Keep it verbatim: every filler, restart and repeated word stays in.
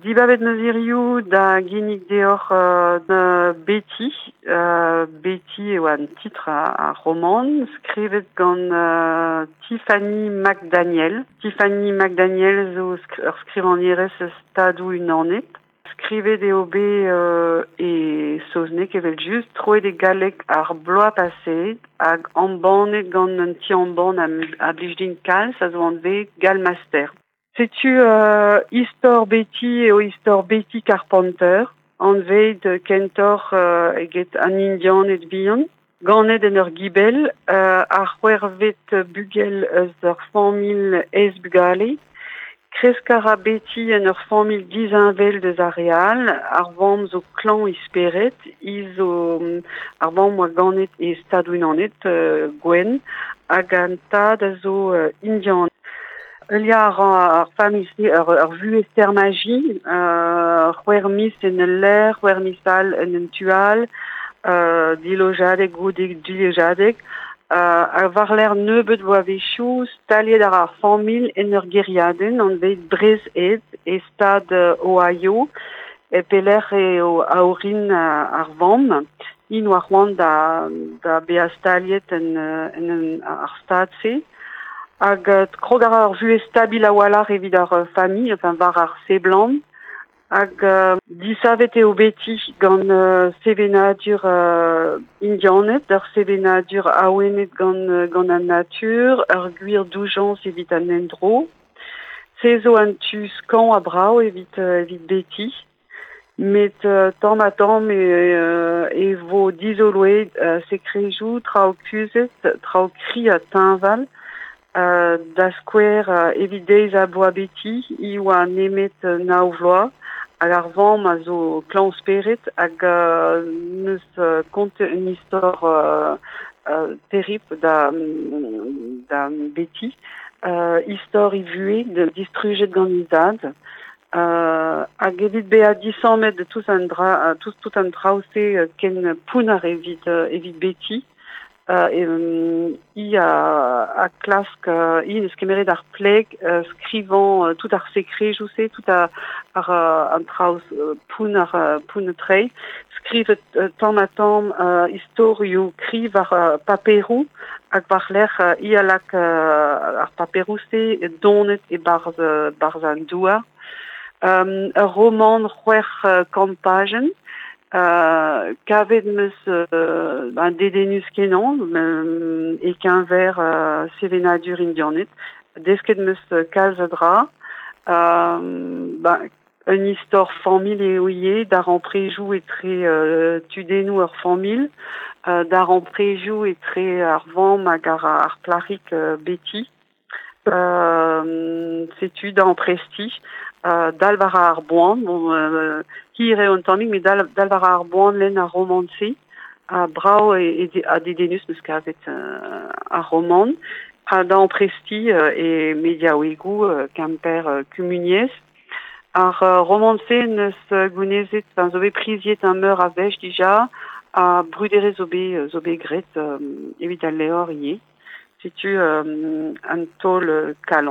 Dibabet 'meus hiziv da ginnig deoc'h euh, Betty. Euh, Betty eo an titr ar romant, skrivet gant euh, Tiffany McDaniel. Tiffany McDaniel zo sk ur skrivagnerez Stadoù Unanet. Skrivet eo bet euh, e saozneg evel-just, troet e galleg ar bloaz paseet hag embannet gant un ti-embann a, a blij din kalz a zo anvet Galmaster. Setu euh, istor Betty eo istor Betty Carpenter, anvet kentoc'h euh, eget an Indianed bihan, ganet en ur gibell, euh, ar c'hwec'hvet bugel eus ur familh eizh bugale. Kresk a ra Betty en ur familh disheñvel deus ar re all, ar vamm zo klañv he spered, hi zo ar vamm oa ganet e Stadoù-Unanet euh, gwenn, hag an tad a zo euh, indian. Heuliañ a ra ar familh-se ur, ur vuhez termaji, euh, c'hwec'h miz en ul lec'h, c'hwec'h miz all en un tu all, euh, dilojadeg goude dilojadeg, euh, ha war-lerc'h nebeut bloavezhioù staliet ar ar familh en ur gêriadenn anvet Brézhed e stad Ohio, e pelec'h eo a-orin ar vamm. Int oa c'hoant da, da bezañ staliet en, en, en ar stad-se. Hag euh, krog a ra ur vuhez stabil a-walc'h evit ar familh, enfin war ar seblant. Hag euh, disavet eo Betty gant euh, sevenadur euh, indianed, ur sevenadur awenet gant, gant an natur, ur gwir doujañs evit an endro. Se zo an tu skañv ha brav evit, euh, evit Betty. Met euh, tamm ha tamm e, euh, e vo dizoloet euh, sekrejoù, traoù kuzhet, traoù kri ha teñval. Euh, da skouer euh, evit deiz ha bloaz Betty, hi oa nemet euh, nav vloaz, hag ar vamm a zo klañv spered hag euh, neus euh, kontet un istor euh, euh, terribl da, da Betty. Euh, istor he vuhez de distrujet gant he zad. Euh, hag evit bezañ disammet de tout an dra, tout, tout an traoù-se ken pounner evit, evit Betty. Euh, e, um, hi a, a klask, euh, hi neus kemeret ar pleg, euh, skrivañ euh, tout ar sekrejoù-se, tout ar, ar, an traoù euh, pounner, euh, pounner tre, skrivet euh, tamm ha tamm euh, istorioù kri war euh, paperoù hag war-lerc'h euh, hi a lak euh, ar paperoù-se donet e-barzh euh, barzh an douar. Um, ur romant c'hwec'h euh, kant pajenn, Euh, kavet 'meus euh, ben, dedennus kenañ euh, e-keñver euh, sevenadur indianed. Desket 'meus kalz a dra. Euh, ben, un istor familh eo ivez, darempredoù etre euh, tudennoù ur familh, euh, darempredoù etre ar vamm hag ar, ar plac'hig euh, Betty. Euh, setu da amprestiñ, euh, dal war ar boan, bon, euh, hir eo un tammig, met dal, dal war ar boan lenn ar romant-se, ha brav e, e, ha dedennus 'meus kavet euh, ar romant, ha da amprestiñ euh, e mediaouegoù euh, Kemper euh, Kumuniezh. Ar euh, romant-se neus euh, gounezet, enfin, zo bet priziet un meur a wech dija, ha bruderezh zo bet, zo bet graet euh, evit al levr ivez. Setu euh, un taol kalon.